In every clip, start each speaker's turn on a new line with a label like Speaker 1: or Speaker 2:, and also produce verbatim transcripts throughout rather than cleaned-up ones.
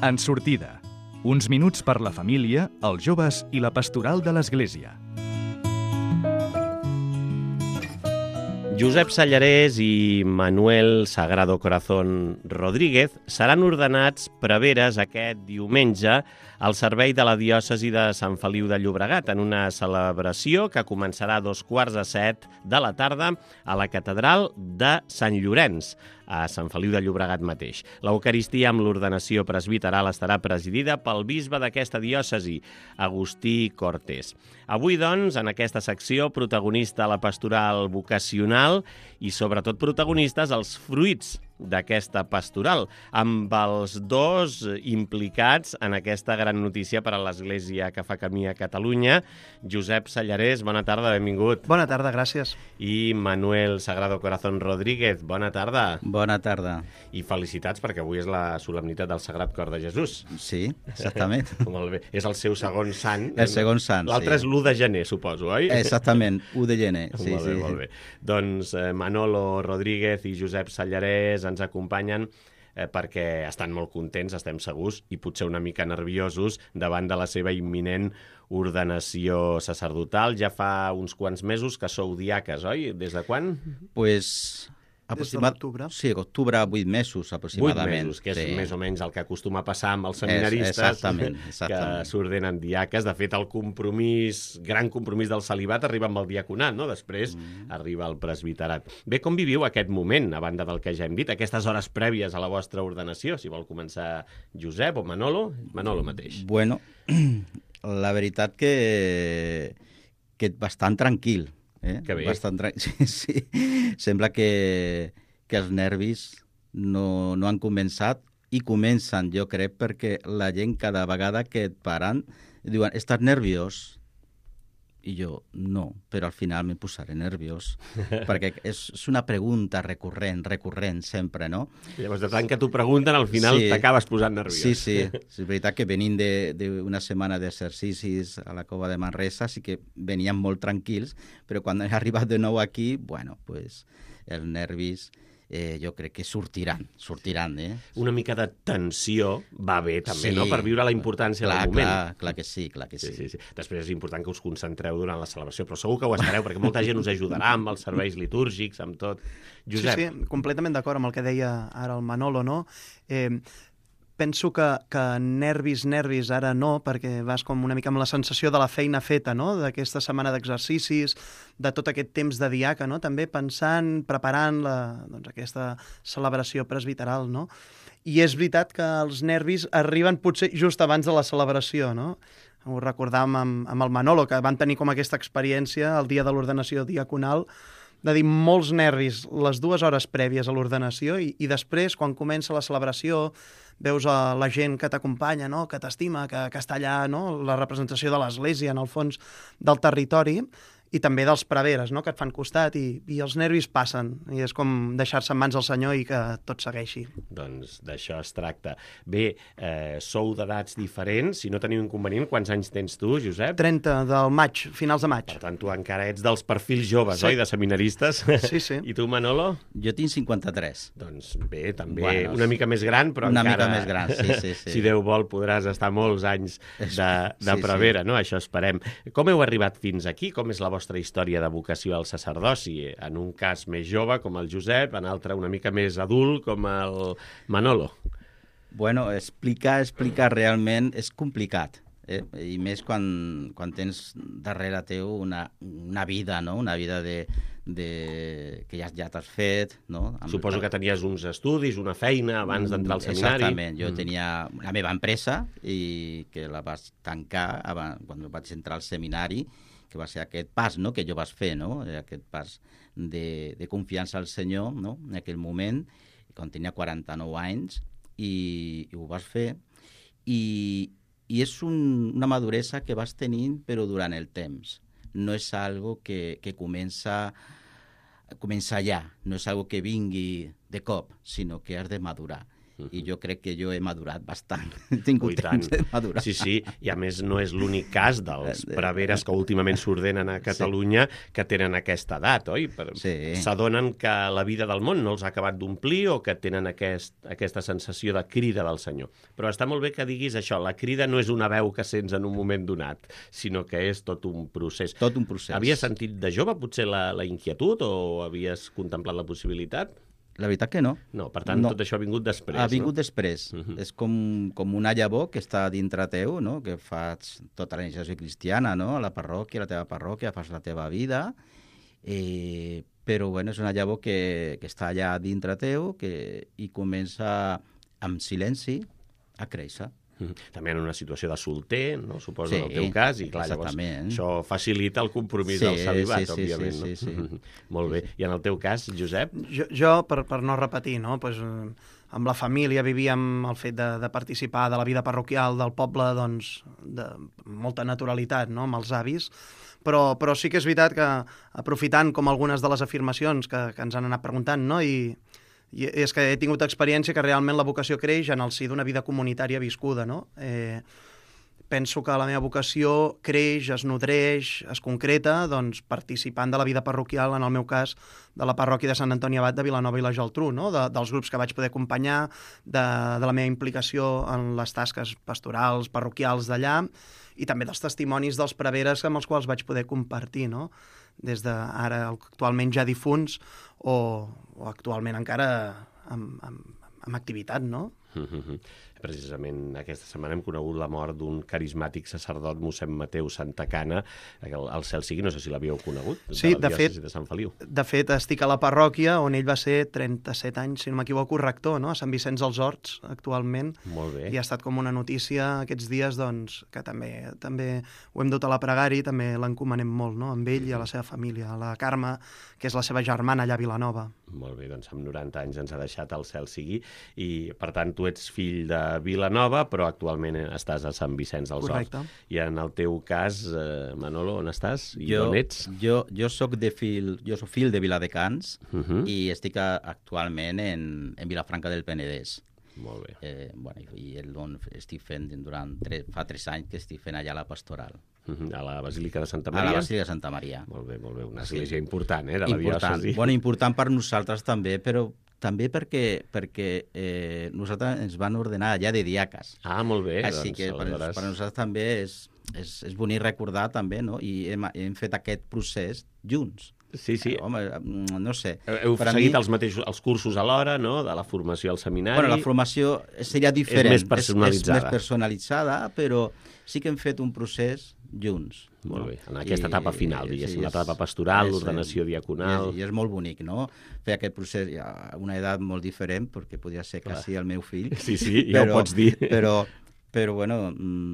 Speaker 1: En sortida. Uns minuts per la família, els joves i la pastoral de l'Església.
Speaker 2: Josep Sallarès i Manuel Sagrado Corazón Rodríguez seran ordenats preveres aquest diumenge al servei de la diòcesi de Sant Feliu de Llobregat en una celebració que començarà a dos quarts de set de la tarda a la catedral de Sant Llorenç, a Sant Feliu de Llobregat mateix. L'Eucaristia amb l'ordenació presbiteral estarà presidida pel bisbe d'aquesta diòcesi, Agustí Cortés. Avui, doncs, en aquesta secció, protagonista la pastoral vocacional i, sobretot, protagonistes els fruits d'aquesta pastoral, amb els dos implicats en aquesta gran notícia per a l'Església que fa camí a Catalunya. Josep Sallarès, bona tarda, benvingut.
Speaker 3: Bona tarda, gràcies.
Speaker 2: I Manuel Sagrado Corazón Rodríguez, bona tarda.
Speaker 4: Bona tarda.
Speaker 2: I felicitats perquè avui és la solemnitat del Sagrat Cor de Jesús.
Speaker 4: Sí, exactament.
Speaker 2: Molt bé. És el seu segon sant.
Speaker 4: El segon sant, sí.
Speaker 2: L'altre és l'u de gener, suposo, oi?
Speaker 4: Exactament, u de gener. Sí,
Speaker 2: molt bé,
Speaker 4: sí.
Speaker 2: molt bé. Doncs eh, Manolo Rodríguez i Josep Sallarès ens acompanyen eh, perquè estan molt contents, estem segurs, i potser una mica nerviosos davant de la seva imminent ordenació sacerdotal. Ja fa uns quants mesos que sou diaques, oi? Des de quan?
Speaker 4: Pues...
Speaker 3: Des de l'octubre.
Speaker 4: Sí, octubre, vuit mesos aproximadament.
Speaker 2: Vuit mesos, que és
Speaker 4: sí.
Speaker 2: més o menys el que acostuma a passar amb els seminaristes
Speaker 4: exactament, exactament.
Speaker 2: que s'ordenen diaques. De fet, el compromís, gran compromís del celibat arriba amb el diaconat, no? Després mm. arriba el presbiterat. Bé, com viviu aquest moment, a banda del que ja hem dit, aquestes hores prèvies a la vostra ordenació? Si vol començar Josep o Manolo, Manolo mateix.
Speaker 4: Bueno, la veritat que, que bastant tranquil. Eh?
Speaker 2: Que bé.
Speaker 4: Bastant tra... sí, sí. Sembla que, que els nervis no, no han començat i comencen, jo crec, perquè la gent cada vegada que et paren diuen, estàs nerviós? I jo, no, però al final me posaré nerviós, perquè és, és una pregunta recurrent, recurrent sempre, no?
Speaker 2: Llavors, de tant que t'ho pregunten, al final sí. T'acabes posant nerviós.
Speaker 4: Sí, sí, és veritat que venint d'una setmana d'exercicis a la Cova de Manresa sí que veníem molt tranquils, però quan he arribat de nou aquí, bueno, pues els nervis... Eh, jo crec que sortiran, sortiran, eh?
Speaker 2: Una mica de tensió va bé, també, sí, no?, per viure la importància
Speaker 4: clar,
Speaker 2: del moment.
Speaker 4: Clar, clar que sí, clar que sí.
Speaker 2: Sí, sí, sí. Després és important que us concentreu durant la celebració, però segur que ho estareu, perquè molta gent us ajudarà amb els serveis litúrgics, amb tot. Josep.
Speaker 3: Sí, sí, completament d'acord amb el que deia ara el Manolo, no? Eh, penso que, que nervis, nervis, ara no, perquè vas com una mica amb la sensació de la feina feta, no?, d'aquesta setmana d'exercicis, de tot aquest temps de diaca, no?, també pensant, preparant la, doncs, aquesta celebració presbiteral, no? I és veritat que els nervis arriben potser just abans de la celebració, no? Ho recordàvem amb, amb el Manolo, que van tenir com aquesta experiència el dia de l'ordenació diaconal, de dir molts nervis les dues hores prèvies a l'ordenació i, i després, quan comença la celebració, veus a la gent que t'acompanya, no?, que t'estima, que, que està allà, no?, la representació de l'Església, en el fons del territori, i també dels preveres, no?, que et fan costat, i, i els nervis passen, i és com deixar-se en mans del Senyor i que tot segueixi.
Speaker 2: Doncs d'això es tracta. Bé, eh, sou d'edats diferents, si no teniu inconvenient, quants anys tens tu, Josep?
Speaker 3: trenta del maig, finals de maig.
Speaker 2: Per tant, tu encara ets dels perfils joves,
Speaker 3: sí.
Speaker 2: oi, de seminaristes?
Speaker 3: Sí, sí.
Speaker 2: I tu, Manolo?
Speaker 4: Jo tinc cinquanta-tres.
Speaker 2: Doncs bé, també
Speaker 4: bueno,
Speaker 2: una mica més gran, però
Speaker 4: una
Speaker 2: encara...
Speaker 4: Una mica més gran, sí, sí, sí.
Speaker 2: Si Déu vol, podràs estar molts anys de, de
Speaker 4: sí,
Speaker 2: prevera,
Speaker 4: sí.
Speaker 2: no? Això esperem. Com heu arribat fins aquí? Com és la vostra història de vocació al sacerdoci? En un cas més jove, com el Josep, en altre una mica més adult, com el Manolo.
Speaker 4: Bueno, explicar, explicar realment és complicat, eh? I més quan, quan tens darrere teu una, una vida, no?, una vida de, de... que ja, ja t'has fet, no? Amb...
Speaker 2: Suposo que tenies uns estudis, una feina abans d'entrar al seminari.
Speaker 4: Exactament, jo mm. tenia la meva empresa i que la vaig tancar abans, quan vaig entrar al seminari, que va ser aquest pas, no?, que jo vaig fer, no?, aquest pas de, de confiança al Senyor, no?, en aquell moment, quan tenia quaranta-nou anys, i, i ho vas fer, i, i és un, una maduresa que vas tenint, però durant el temps. No és algo que, que comença, comença ja, no és algo que vingui de cop, sinó que has de madurar. I jo crec que jo he madurat bastant. He tingut temps de madurar.
Speaker 2: Sí, sí, i a més no és l'únic cas dels preveres que últimament s'ordenen a Catalunya sí. que tenen aquesta edat, oi? Sí. S'adonen que la vida del món no els ha acabat d'omplir o que tenen aquest, aquesta sensació de crida del Senyor. Però està molt bé que diguis això, la crida no és una veu que sents en un moment donat, sinó que és tot un procés.
Speaker 4: Tot un procés.
Speaker 2: Havies sentit de jove potser la, la inquietud o havies contemplat la possibilitat?
Speaker 4: La veritat que no.
Speaker 2: No, per tant, no. Tot això ha vingut després,
Speaker 4: Ha vingut
Speaker 2: no?
Speaker 4: després. Uh-huh. És com, com una llavor que està dintre teu, no? Que fas tota la iniciació cristiana, no? A la parròquia, a la teva parròquia, fas la teva vida, eh, però bueno, és una llavor que, que està allà dintre teu que, i comença amb silenci a créixer.
Speaker 2: També en una situació de solter, no? Suposo,
Speaker 4: sí,
Speaker 2: en el teu cas, i clar, llavors això facilita el compromís
Speaker 4: sí,
Speaker 2: del celibat,
Speaker 4: sí, sí,
Speaker 2: òbviament.
Speaker 4: Sí, sí,
Speaker 2: no?
Speaker 4: sí, sí.
Speaker 2: Molt bé. I en el teu cas, Josep?
Speaker 3: Jo, jo per, per no repetir, no? Pues, amb la família vivíem el fet de, de participar de la vida parroquial del poble doncs, de molta naturalitat, no? Amb els avis, però, però sí que és veritat que, aprofitant com algunes de les afirmacions que, que ens han anat preguntant, no? I, I és que he tingut experiència que realment la vocació creix en el si d'una vida comunitària viscuda, no? Eh, penso que la meva vocació creix, es nodreix, es concreta, doncs, participant de la vida parroquial, en el meu cas, de la parròquia de Sant Antoni Abat de Vilanova i la Geltrú, no? De, dels grups que vaig poder acompanyar, de, de la meva implicació en les tasques pastorals, parroquials d'allà, i també dels testimonis dels preveres amb els quals vaig poder compartir, no? Des d'ara actualment ja difunts o, o actualment encara amb, amb, amb activitat, no?
Speaker 2: Mm-hmm. Precisament aquesta setmana hem conegut la mort d'un carismàtic sacerdot, mossèn Mateu Santacana, el, el cel sigui, no sé si l'havíeu conegut,
Speaker 3: sí,
Speaker 2: de la
Speaker 3: diòcesi
Speaker 2: de Sant Feliu.
Speaker 3: De fet, estic a la parròquia on ell va ser trenta-set anys, si no m'equivoco, rector, no? A Sant Vicenç dels Horts, actualment.
Speaker 2: Molt bé.
Speaker 3: I ha estat com una notícia aquests dies, doncs, que també també ho hem dut a la pregària i també l'encomanem molt, no? Amb ell i a la seva família, a la Carme, que és la seva germana allà a Vilanova.
Speaker 2: Molt bé, doncs amb noranta anys ens ha deixat el cel sigui i, per tant, tu ets fill de Vilanova, però actualment estàs a Sant Vicenç dels Horts.
Speaker 3: Correcte.
Speaker 2: I en el teu cas, eh, Manolo, on estàs? I
Speaker 4: jo,
Speaker 2: on ets?
Speaker 4: Jo, jo soc de fill, jo soc fill de Viladecans
Speaker 2: uh-huh.
Speaker 4: i estic a, actualment en, en Vilafranca del Penedès.
Speaker 2: Molt bé.
Speaker 4: Eh, bueno, I el on estic fent durant tres, fa tres anys que estic fent allà la pastoral.
Speaker 2: Uh-huh. A la Basílica de Santa Maria?
Speaker 4: A la Basílica de Santa Maria.
Speaker 2: Molt bé, molt bé. Una església sí. important, eh, de la
Speaker 4: important.
Speaker 2: diòcesi.
Speaker 4: Bueno, important per nosaltres també, però també perquè, perquè eh, nosaltres ens van ordenar allà de diaques.
Speaker 2: Ah, molt bé.
Speaker 4: Així
Speaker 2: doncs,
Speaker 4: que per,
Speaker 2: aleshores...
Speaker 4: per nosaltres també és, és, és bonic recordar també, no? I hem, hem fet aquest procés junts.
Speaker 2: Sí, sí.
Speaker 4: Eh, home, no sé.
Speaker 2: Heu
Speaker 4: per
Speaker 2: seguit
Speaker 4: mi...
Speaker 2: els mateixos els cursos alhora, no?, de la formació al seminari.
Speaker 4: Bueno, la formació seria diferent.
Speaker 2: És més personalitzada.
Speaker 4: És, és més personalitzada, però sí que hem fet un procés junts.
Speaker 2: Molt
Speaker 4: no?
Speaker 2: bé, en aquesta I, etapa final, diguéssim,
Speaker 4: sí,
Speaker 2: l'etapa pastoral,
Speaker 4: és,
Speaker 2: l'ordenació diaconal...
Speaker 4: I és, I és molt bonic, no?, fer aquest procés a una edat molt diferent, perquè podria ser
Speaker 2: Clar.
Speaker 4: quasi el meu fill.
Speaker 2: Sí, sí, ja però, ho pots dir.
Speaker 4: Però, però bueno,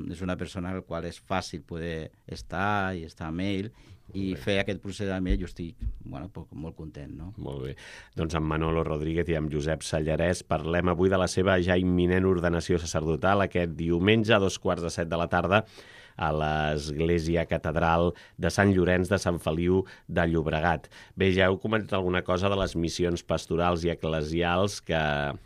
Speaker 4: és una persona al qual és fàcil poder estar i estar amb ell, i fer aquest procés amb ell, jo estic bueno, molt content, no?
Speaker 2: Molt bé. Doncs amb Manolo Rodríguez i amb Josep Sallarès parlem avui de la seva ja imminent ordenació sacerdotal aquest diumenge a dos quarts de set de la tarda a l'Església Catedral de Sant Llorenç de Sant Feliu de Llobregat. Bé, ja heu comentat alguna cosa de les missions pastorals i eclesials que,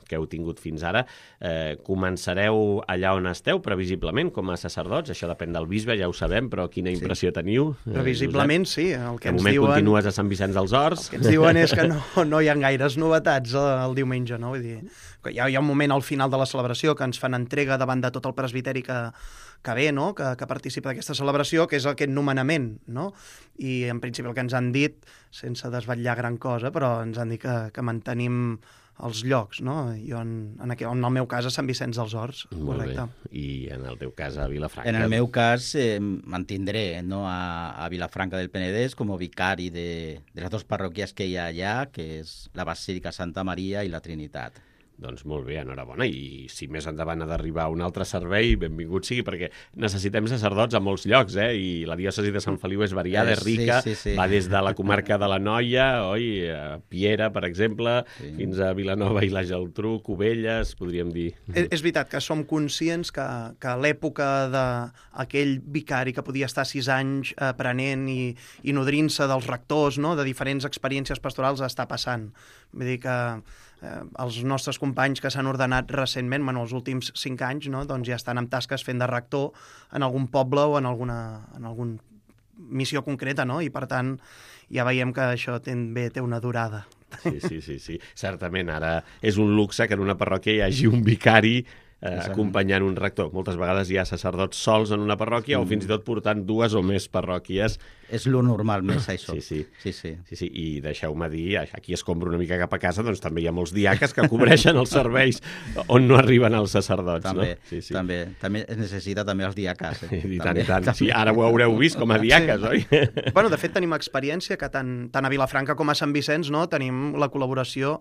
Speaker 2: que heu tingut fins ara. Eh, començareu allà on esteu, previsiblement, com a sacerdots? Això depèn del bisbe, ja ho sabem, però quina impressió sí. teniu?
Speaker 3: Previsiblement, eh, sí. El que
Speaker 2: de
Speaker 3: ens
Speaker 2: moment
Speaker 3: diuen...
Speaker 2: continues a Sant Vicenç dels Horts.
Speaker 3: El que ens diuen és que no, no hi ha gaires novetats el diumenge, no? Vull dir, hi ha, hi ha un moment al final de la celebració que ens fan entrega davant de tot el presbiteri que, que ve, no?, que, que participa d'aquesta celebració, que és aquest nomenament, no? I en principi el que ens han dit, sense desvetllar gran cosa, però ens han dit que, que mantenim els llocs, no? Jo en, en, aqu... en el meu cas a Sant Vicenç dels Horts,
Speaker 2: Molt
Speaker 3: correcte.
Speaker 2: Bé. I en el teu cas a Vilafranca?
Speaker 4: En el meu cas eh, mantindré no, a, a Vilafranca del Penedès com a vicari de, de les dues parròquies que hi ha allà, que és la Basílica Santa Maria i la Trinitat.
Speaker 2: Doncs molt bé, enhorabona, i si més endavant ha d'arribar un altre servei, benvingut sigui, perquè necessitem sacerdots a molts llocs, eh? I la diòcesi de Sant Feliu és variada, és rica,
Speaker 4: sí, sí, sí.
Speaker 2: va des de la comarca de la Noia, oi, a Piera, per exemple, sí. fins a Vilanova i la Geltrú, Cubelles, podríem dir.
Speaker 3: És, és veritat que som conscients que, que a l'època d'aquell vicari que podia estar sis anys aprenent i, i nodrint-se dels rectors, no?, de diferents experiències pastorals, està passant. Vull dir que eh, els nostres companys que s'han ordenat recentment, bueno, els últims cinc anys, no? Doncs ja estan en tasques fent de rector en algun poble o en alguna, en algun missió concreta, no? I per tant ja veiem que això també té una durada.
Speaker 2: Sí, sí, sí, sí. Certament, ara és un luxe que en una parròquia hi hagi un vicari eh, acompanyant un rector. Moltes vegades hi ha sacerdots sols en una parròquia mm. o fins i tot portant dues o més parròquies.
Speaker 4: És lo normal més, això.
Speaker 2: Sí, sí.
Speaker 4: sí, sí.
Speaker 2: sí, sí. I deixeu-me dir, aquí es compra una mica cap a casa, doncs també hi ha molts diaques que cobreixen els serveis on no arriben els sacerdots.
Speaker 4: També,
Speaker 2: no? sí, sí.
Speaker 4: també, també es necessita també els diaques. Eh?
Speaker 2: I tant,
Speaker 4: també,
Speaker 2: i tant.
Speaker 4: també.
Speaker 2: Sí, ara ho haureu vist com a diaques, sí. oi?
Speaker 3: Bueno, de fet, tenim experiència que tant, tant a Vilafranca com a Sant Vicenç, no, tenim la col·laboració,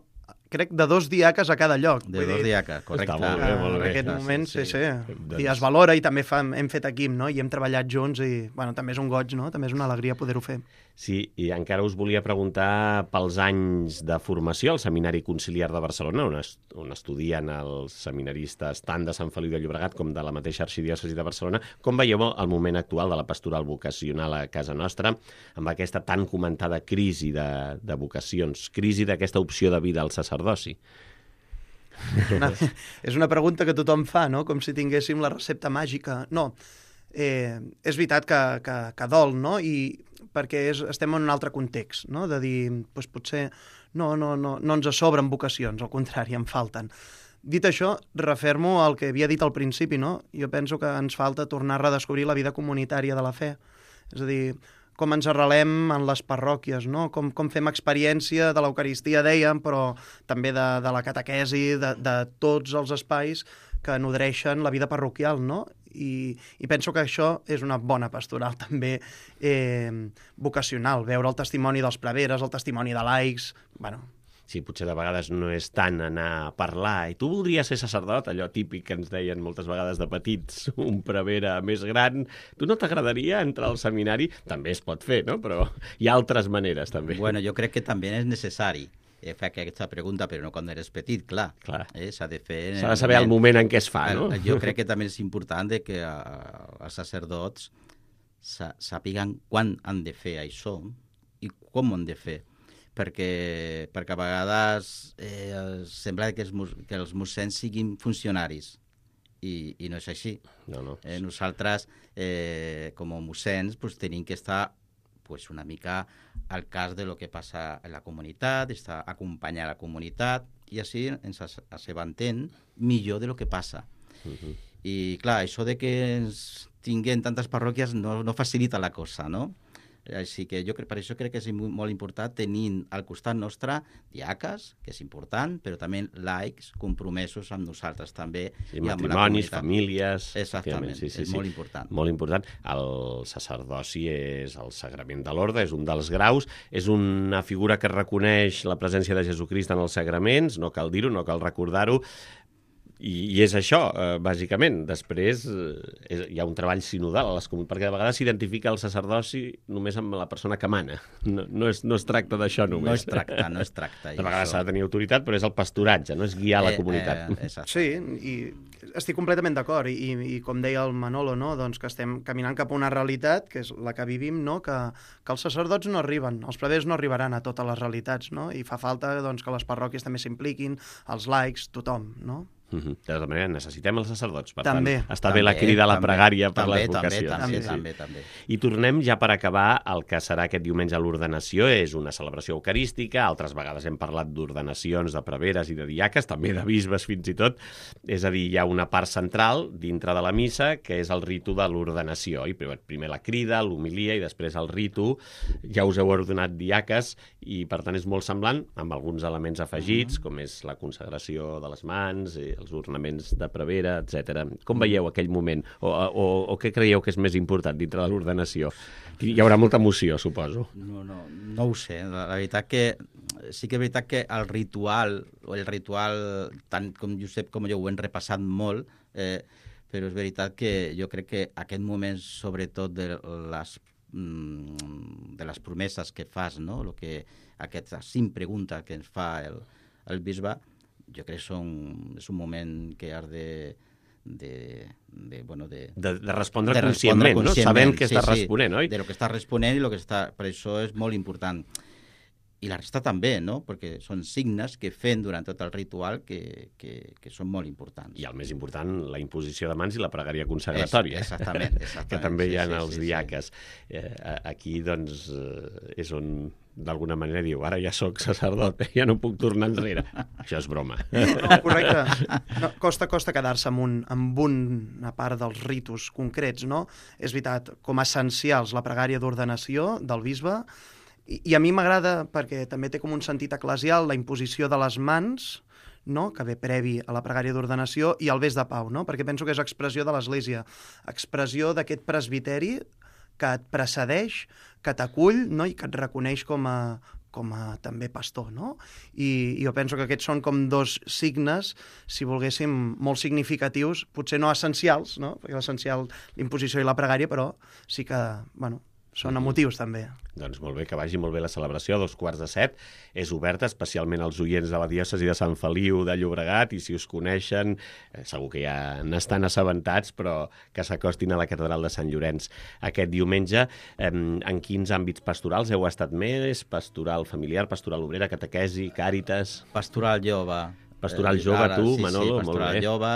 Speaker 3: crec, de dos diaques a cada lloc.
Speaker 4: De dos diaques, correcte.
Speaker 2: Està molt bé, molt bé.
Speaker 3: En aquest
Speaker 4: Ah,
Speaker 3: moment, sí, sí. sí.
Speaker 2: Doncs...
Speaker 3: I es valora i també fa, hem fet equip, no? I hem treballat junts i, bueno, també és un goig, no? També és una alegria poder-ho fer.
Speaker 2: Sí, i encara us volia preguntar pels anys de formació al Seminari Conciliar de Barcelona, on, es, on estudien els seminaristes tant de Sant Feliu de Llobregat com de la mateixa arxidiòcesi de Barcelona. Com veieu el moment actual de la pastoral vocacional a casa nostra, amb aquesta tan comentada crisi de, de vocacions, crisi d'aquesta opció de vida al sacerdoci?
Speaker 3: Una, és una pregunta que tothom fa, no? Com si tinguéssim la recepta màgica. No, eh, és veritat que, que, que dol, no? I perquè és, estem en un altre context, no? De dir, doncs potser no, no, no, no ens sobren vocacions, al contrari, en falten. Dit això, refermo al que havia dit al principi, no? Jo penso que ens falta tornar a redescobrir la vida comunitària de la fe. És a dir, com ens arrelem en les parròquies, no? Com, com fem experiència de l'Eucaristia, dèiem, però també de, de la catequesi, de, de tots els espais que nodreixen la vida parroquial, no? I, i penso que això és una bona pastoral també eh, vocacional, veure el testimoni dels preveres, el testimoni de laics, bueno...
Speaker 2: Sí, potser de vegades no és tant anar a parlar i tu voldries ser sacerdot, allò típic que ens deien moltes vegades de petits, un prevere més gran. Tu no t'agradaria entrar al seminari? També es pot fer, no? Però hi ha altres maneres, també.
Speaker 4: Bueno, jo crec que també és necessari eh, fer aquesta pregunta, però no quan eres petit, clar.
Speaker 2: clar.
Speaker 4: Eh, s'ha de fer...
Speaker 2: S'ha de saber el moment en què es fa, no?
Speaker 4: Jo crec que també és important de que uh, els sacerdots sàpiguen quan han de fer això i com ho han de fer. Perquè, perquè a vegades eh, sembla que els, que els mossens siguin funcionaris i, i no és així.
Speaker 2: No, no.
Speaker 4: Eh, nosaltres, eh, com a mossens, pues, tenim que estar pues, una mica al cas de lo que passa a la comunitat, estar acompanyar la comunitat i així ens assabentem millor de lo que passa.
Speaker 2: Uh-huh.
Speaker 4: I clar, això de que ens tinguem tantes parròquies no, no facilita la cosa, no? Així que jo crec, per això crec que és molt important tenir al costat nostre diaques, que és important, però també laics compromesos amb nosaltres també.
Speaker 2: Sí, matrimonis, famílies...
Speaker 4: Exactament,
Speaker 2: sí, sí,
Speaker 4: és
Speaker 2: sí.
Speaker 4: molt important.
Speaker 2: Molt important. El sacerdoci és el sagrament de l'orde, és un dels graus, és una figura que reconeix la presència de Jesucrist en els sagraments, no cal dir-ho, no cal recordar-ho, I, i és això, eh, bàsicament. Després eh, és, hi ha un treball sinodal a les comunitats, perquè de vegades s'identifica el sacerdoci només amb la persona que mana. No, no, es, no es tracta d'això només.
Speaker 4: No es tracta, no es tracta.
Speaker 2: De vegades s'ha de tenir autoritat, però és el pasturatge, no és guiar eh, la comunitat.
Speaker 4: Eh,
Speaker 3: sí, i estic completament d'acord. I, I com deia el Manolo, no? Doncs que estem caminant cap a una realitat, que és la que vivim, no? que, que els sacerdots no arriben, els prevers no arribaran a totes les realitats, no? I fa falta doncs, que les parròquies també s'impliquin, els laics, tothom, no?
Speaker 2: Uh-huh. De tota manera, necessitem els sacerdots, per
Speaker 3: també,
Speaker 2: tant, està
Speaker 4: també,
Speaker 2: bé la crida a la
Speaker 4: també,
Speaker 2: pregària per
Speaker 4: també,
Speaker 2: les vocacions.
Speaker 4: També,
Speaker 2: sí, sí.
Speaker 4: també, també.
Speaker 2: I tornem ja per acabar el que serà aquest diumenge a l'ordenació. És una celebració eucarística, altres vegades hem parlat d'ordenacions de preveres i de diaques, també de bisbes fins i tot. És a dir, hi ha una part central dintre de la missa que és el ritu de l'ordenació. I primer, primer la crida, l'homilia i després el ritu. Ja us heu ordenat diaques i per tant és molt semblant, amb alguns elements afegits, com és la consagració de les mans, els ornaments de prevera, etcètera. Com veieu aquell moment? O, o, o què creieu que és més important dintre de l'ordenació? Hi haurà molta emoció, suposo.
Speaker 4: No, no, no ho sé. La, la veritat que sí que és veritat que el ritual, o el ritual, tant com Josep com jo ho hem repassat molt, eh, però és veritat que jo crec que aquest moment, sobretot de les, de les promeses que fas, no? Lo que, aquestes cinc preguntes que ens fa el, el bisbe, jo crec que són, és un moment que has de, de, de, bueno, de,
Speaker 2: de, de respondre
Speaker 4: de
Speaker 2: conscientment,
Speaker 4: respondre
Speaker 2: no?
Speaker 4: conscientment,
Speaker 2: Sabent què
Speaker 4: sí,
Speaker 2: estàs
Speaker 4: sí,
Speaker 2: responent, oi?
Speaker 4: De lo que estàs responent i lo que està... Per això és molt important. i la resta també, no? Perquè són signes que fem durant tot el ritual que, que, que són molt importants.
Speaker 2: I el més important, la imposició de mans i la pregària consagratòria.
Speaker 4: És, exactament, exactament.
Speaker 2: Que també hi ha
Speaker 4: sí, sí,
Speaker 2: els
Speaker 4: sí,
Speaker 2: diaques. Sí. Eh, aquí, doncs, eh, és on, d'alguna manera, diu, ara ja sóc sacerdot, ja no puc tornar enrere. Això és broma.
Speaker 3: No, correcte. No, costa, costa quedar-se amb, un, amb una part dels ritus concrets, no? És veritat, com a essencials, la pregària d'ordenació del bisbe. I a mi m'agrada, perquè també té com un sentit eclesial, la imposició de les mans, no? Que ve previ a la pregària d'ordenació, i el bes de pau, no? Perquè penso que és expressió de l'Església, expressió d'aquest presbiteri que et precedeix, que t'acull, no? I que et reconeix com a, com a també pastor, no? I, I jo penso que aquests són com dos signes, si volguéssim, molt significatius, potser no essencials, no? Perquè l'essencial, l'imposició i la pregària, però sí que, bueno, són emotius, també.
Speaker 2: Doncs molt bé, que vagi molt bé la celebració, a dos quarts de set. És oberta especialment als oients de la diòcesi de Sant Feliu de Llobregat, i si us coneixen, eh, segur que ja n'estan assabentats, però que s'acostin a la catedral de Sant Llorenç aquest diumenge. Eh, en quins àmbits pastorals heu estat més? Pastoral familiar, pastoral obrera, catequesi, càritas?
Speaker 4: Pastoral jove.
Speaker 2: Pastoral jove,
Speaker 4: ara,
Speaker 2: tu,
Speaker 4: sí,
Speaker 2: Manolo,
Speaker 4: sí,
Speaker 2: molt bé.
Speaker 4: Pastoral jove,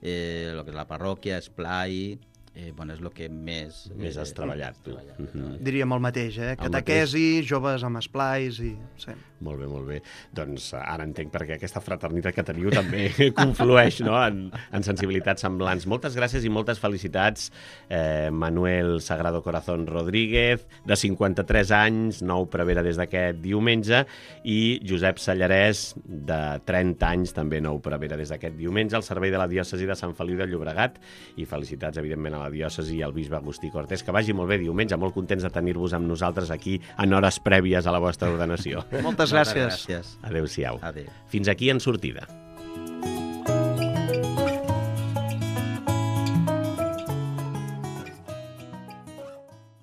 Speaker 4: eh, lo que és la parròquia, esplai... Eh, bueno, és el que més...
Speaker 2: Més has
Speaker 4: eh,
Speaker 2: treballat, tu.
Speaker 4: treballat.
Speaker 2: Uh -huh.
Speaker 3: Diríem el mateix, eh?
Speaker 2: El
Speaker 3: Catequesi, joves amb esplais i... Sí.
Speaker 2: Molt bé, molt bé. Doncs ara entenc perquè aquesta fraternitat que teniu també conflueix, no?, en, en sensibilitats semblants. Moltes gràcies i moltes felicitats, eh, Manuel Sagrado Corazón Rodríguez, de cinquanta-tres anys, nou prevere des d'aquest diumenge, i Josep Sallarès, de trenta anys, també nou prevere des d'aquest diumenge, al servei de la diòcesi de Sant Feliu de Llobregat, i felicitats, evidentment, a la diòcesi i al bisbe Agustí Cortés. Que vagi molt bé diumenge, molt contents de tenir-vos amb nosaltres aquí en hores prèvies a la vostra ordenació.
Speaker 3: Moltes gràcies.
Speaker 4: Gràcies.
Speaker 2: Adéu-siau.
Speaker 4: Adéu.
Speaker 2: Fins aquí En Sortida.